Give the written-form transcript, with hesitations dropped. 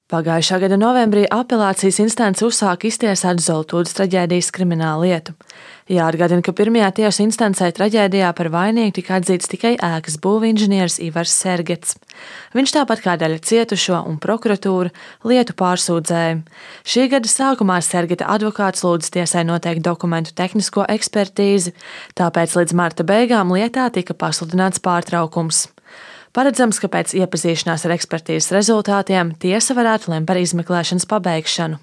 Pagājušā gada novembrī apelācijas instance uzsāka iztiesāt Zoltūdas traģēdijas kriminālu lietu. Jāatgādina, ka pirmajā tiesu instancē traģēdijā par vainīgu tika atzīts tikai ēkas būvinženieris Ivars Sergets. Viņš tāpat kā daļa cietušo un prokuratūra lietu pārsūdzēja. Šī gada sākumā Sergeta advokāts lūdza tiesai noteikt dokumentu tehnisko ekspertīzi, tāpēc līdz marta beigām lietā tika pasludināts pārtraukums. Paredzams, ka pēc iepazīšanās ar ekspertīzes rezultātiem tiesa varētu lemt par izmeklēšanas pabeigšanu.